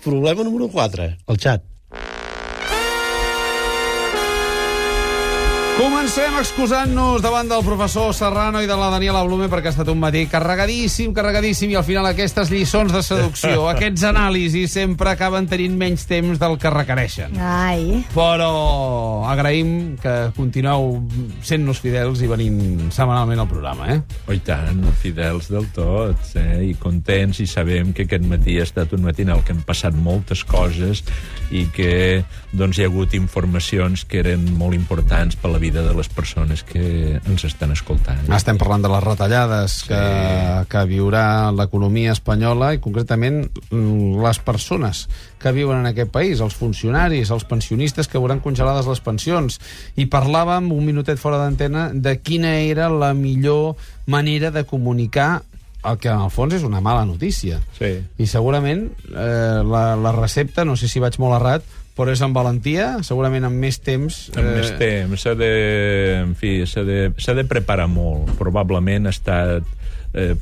Problema número 4, el xat. Comencem excusant-nos davant del professor Serrano i de la Daniela Blume perquè ha estat un matí carregadíssim, i al final aquestes lliçons de seducció, aquests anàlisis sempre acaben tenint menys temps del que requereixen. Ai. Però agraïm que continueu sent-nos fidels i venint setmanalment al programa, Oh, i tant, fidels del tot, i contents, i sabem que aquest matí ha estat un matí en el que han passat moltes coses i que doncs, hi ha hagut informacions que eren molt importants per la vida de les persones que ens estan escoltant. Estem parlant de les retallades que viurà l'economia espanyola i concretament les persones que viuen en aquest país, els funcionaris, els pensionistes que veuran congelades les pensions. I parlàvem un minutet fora d'antena de quina era la millor manera de comunicar el que en el fons és una mala notícia. Sí. I segurament la recepta, no sé si vaig molt errat, però és amb valentia, segurament amb més temps. Amb més temps, s'ha de preparar molt. Probablement ha estat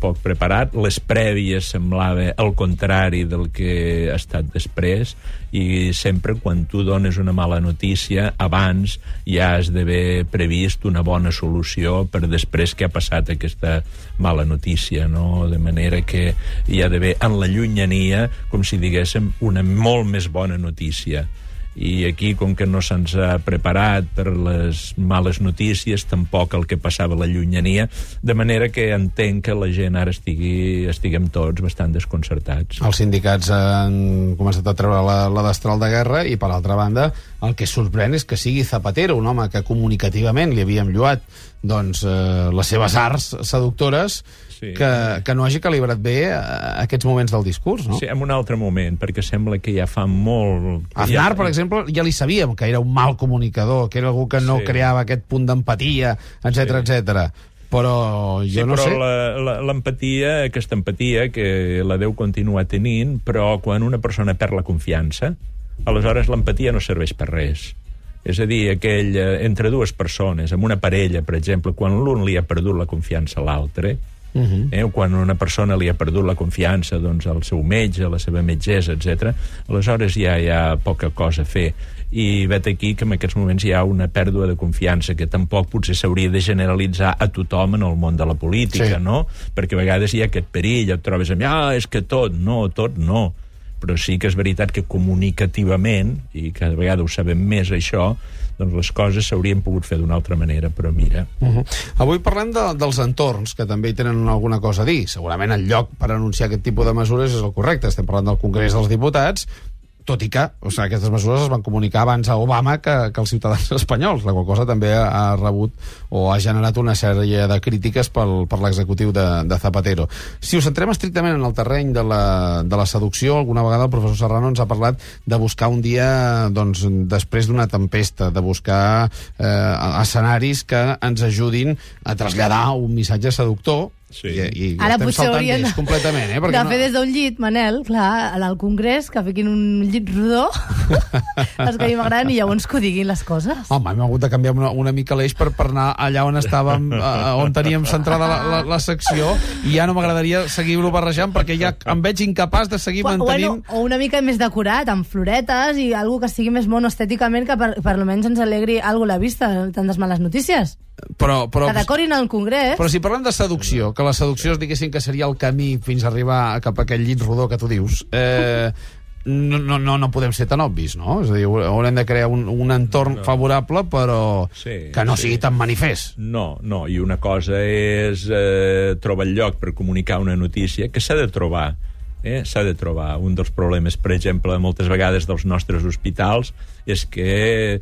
poc preparat. Les prèvies semblava el contrari del que ha estat després, i sempre quan tu dones una mala notícia, abans ja has d'haver previst una bona solució per després que ha passat aquesta mala notícia, no? De manera que hi ha d'haver en la llunyania, com si diguéssim, una molt més bona notícia. I aquí, com que no se'ns ha preparat per les males notícies, tampoc el que passava a la llunyania, de manera que entenc que la gent ara estiguem tots bastant desconcertats. Els sindicats han començat a treure la destral de guerra i, per altra banda, el que sorprèn és que sigui Zapatero, un home que comunicativament li havíem lloat les seves arts seductores, que no hagi calibrat bé aquests moments del discurs, no? Sí, en un altre moment, perquè sembla que ja fa molt... Aznar, per exemple, ja li sabíem que era un mal comunicador, que era algú que no creava aquest punt d'empatia, etc. Però jo no sé... Però l'empatia, aquesta empatia, que la deu continuar tenint, però quan una persona perd la confiança, aleshores l'empatia no serveix per res. És a dir, entre dues persones, amb una parella, per exemple, quan l'un li ha perdut la confiança a l'altre, quan una persona li ha perdut la confiança al seu metge, a la seva metgessa, etc., aleshores ja hi ha poca cosa a fer. I vet aquí que en aquests moments hi ha una pèrdua de confiança que tampoc potser s'hauria de generalitzar a tothom en el món de la política, no? Perquè a vegades hi ha aquest perill, et trobes amb és que tot no. Però sí que és veritat que comunicativament, i cada vegada ho sabem més això, doncs les coses s'haurien pogut fer d'una altra manera, però mira... Avui parlem dels entorns, que també hi tenen alguna cosa a dir. Segurament el lloc per anunciar aquest tipus de mesures és el correcte. Estem parlant del Congrés dels Diputats, tot i que aquestes mesures es van comunicar abans a Obama que els ciutadans espanyols, la qual cosa també ha rebut o ha generat una sèrie de crítiques per l'executiu de Zapatero. Si us centrem estrictament en el terreny de la seducció, alguna vegada el professor Serrano ens ha parlat de buscar un dia després d'una tempesta, de buscar escenaris que ens ajudin a traslladar un missatge seductor. Sí. I ara estem potser saltant d'ells completament, de fer des d'un llit, Manel, clar, al Congrés, que fiquin un llit rodó, els que a mi m'agraden, i llavors que ho diguin les coses. Home, hem hagut de canviar una mica l'eix per anar allà on estàvem, on teníem centrada la secció, i ja no m'agradaria seguir-lo barrejant, perquè ja em veig incapaç de seguir mantenint... O una mica més decorat, amb floretes, i algo que sigui més mono estèticament, que per almenys ens alegri alguna la vista, tantes males notícies. Però que decorin el Congrés. Però si parlem de seducció, que la seducció es diguessin que seria el camí fins a arribar cap a aquell llit rodó que tu dius, no podem ser tan obvis, no? És a dir, haurem de crear un entorn favorable, però que no sigui tan manifest. No, i una cosa és trobar el lloc per comunicar una notícia, que s'ha de trobar. S'ha de trobar. Un dels problemes, per exemple, moltes vegades dels nostres hospitals és que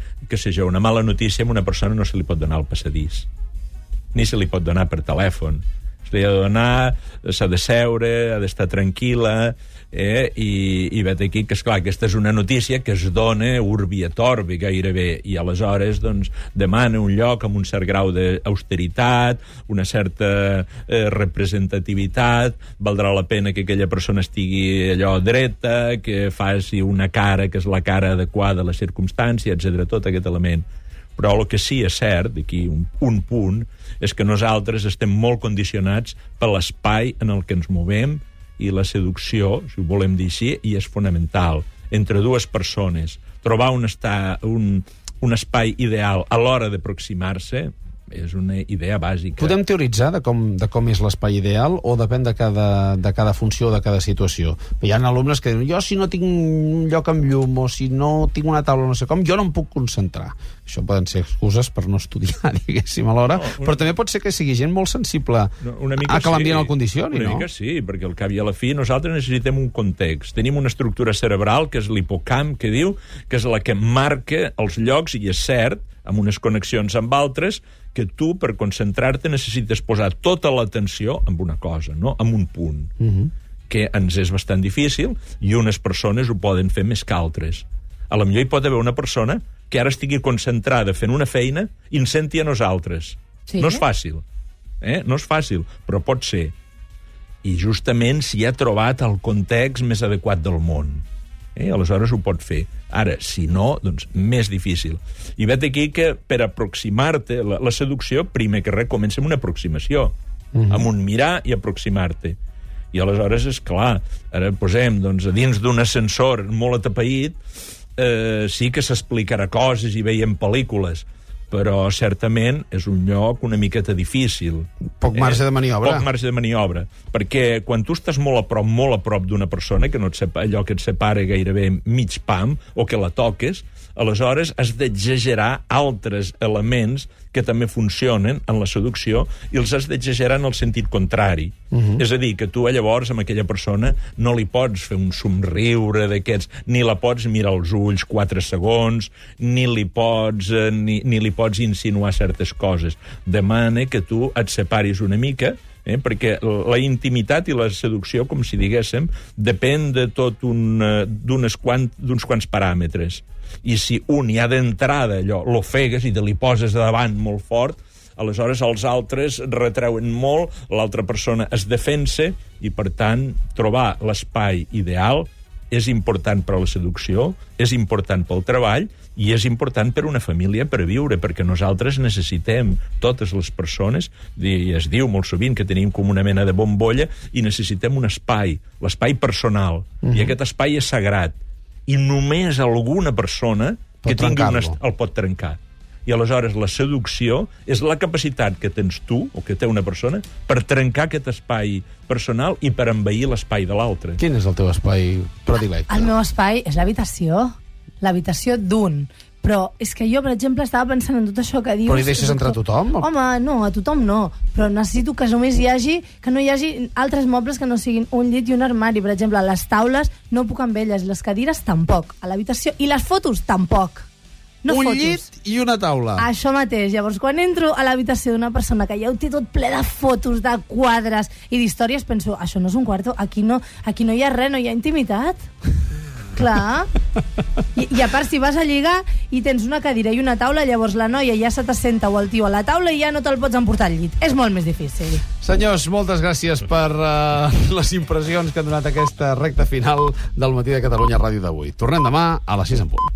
una mala notícia a una persona no se li pot donar al passadís, ni se li pot donar per telèfon. Se li ha de donar, s'ha de seure, ha d'estar tranquil·la, i vet aquí que, esclar, aquesta és una notícia que es dona urbi et orbi gairebé, i aleshores demana un lloc amb un cert grau d'austeritat, una certa representativitat, valdrà la pena que aquella persona estigui allò dreta, que faci una cara que és la cara adequada a la circumstància, etc., tot aquest element. Però el que sí és cert, d'aquí un punt, és que nosaltres estem molt condicionats per l'espai en el que ens movem i la seducció, si ho volem dir així, i és fonamental, entre dues persones. Trobar un espai ideal a l'hora d'aproximar-se és una idea bàsica. Podem teoritzar de com és l'espai ideal o depèn de cada funció o de cada situació? Hi ha alumnes que diuen, jo si no tinc un lloc amb llum o si no tinc una taula no sé com, jo no em puc concentrar. Això poden ser excuses per no estudiar, diguéssim, alhora, però també pot ser que sigui gent molt sensible a que l'ambient el condicioni, no? Una mica sí, perquè al cap i a la fi nosaltres necessitem un context. Tenim una estructura cerebral, que és l'hipocamp, que diu, que és la que marca els llocs, i és cert, amb unes connexions amb altres, que tu, per concentrar-te, necessites posar tota l'atenció en una cosa, no? En un punt, que ens és bastant difícil, i unes persones ho poden fer més que altres. A lo millor hi pot haver una persona que ara estigui concentrada fent una feina i ens senti a nosaltres. Sí. No és fàcil, no és fàcil, però pot ser. I justament si ha trobat el context més adequat del món. Aleshores ho pot fer. Ara, si no, doncs més difícil. I vet aquí que per aproximar-te, la seducció, primer que res, comença amb una aproximació, amb un mirar i aproximar-te. I aleshores, és clar, ara posem doncs, dins d'un ascensor molt atapeït, sí que s'explicarà coses i veiem pel·lícules, però certament és un lloc una miqueta difícil. Poc marge de maniobra. Poc marge de maniobra, perquè quan tu estàs molt a prop d'una persona, que no allò que et separa gairebé mig pam, o que la toques, aleshores has d'exagerar altres elements que també funcionen en la seducció i els has d'exagerar en el sentit contrari. És a dir, que tu llavors amb aquella persona no li pots fer un somriure d'aquests, ni la pots mirar als ulls 4 segons, ni li pots insinuar certes coses. Demana que tu et separis una mica, perquè la intimitat i la seducció, com si diguéssim, depèn de tot d'uns quants paràmetres. I si un ja d'entrada allò l'ofegues i te li poses davant molt fort, aleshores els altres retreuen molt, l'altra persona es defensa i, per tant, trobar l'espai ideal és important per a la seducció, és important pel treball i és important per una família per viure, perquè nosaltres necessitem, totes les persones, i es diu molt sovint que tenim com una mena de bombolla, i necessitem un espai, l'espai personal, i aquest espai és sagrat, i només alguna persona que tingui el pot trencar. I aleshores la seducció és la capacitat que tens tu, o que té una persona, per trencar aquest espai personal i per envair l'espai de l'altre. Quin és el teu espai predilecte? El meu espai és l'habitació d'un. Però és que jo, per exemple, estava pensant en tot això que dius... Però hi deixes entrar tothom? Home, no, a tothom no. Però necessito que només que no hi hagi altres mobles que no siguin un llit i un armari. Per exemple, les taules no puc amb elles, les cadires tampoc. A l'habitació... I les fotos tampoc. No un fotos. Llit i una taula. Això mateix. Llavors, quan entro a l'habitació d'una persona que ja ho té tot ple de fotos, de quadres i d'històries, penso, això no és un quarto, aquí no hi ha res, no hi ha intimitat. Clar. I a part, si vas a lligar i tens una cadira i una taula, llavors la noia ja se t'assenta o el tio a la taula i ja no te'l pots emportar al llit. És molt més difícil. Senyors, moltes gràcies per les impressions que han donat aquesta recta final del Matí de Catalunya Ràdio d'avui. Tornem demà a les 6 en punt.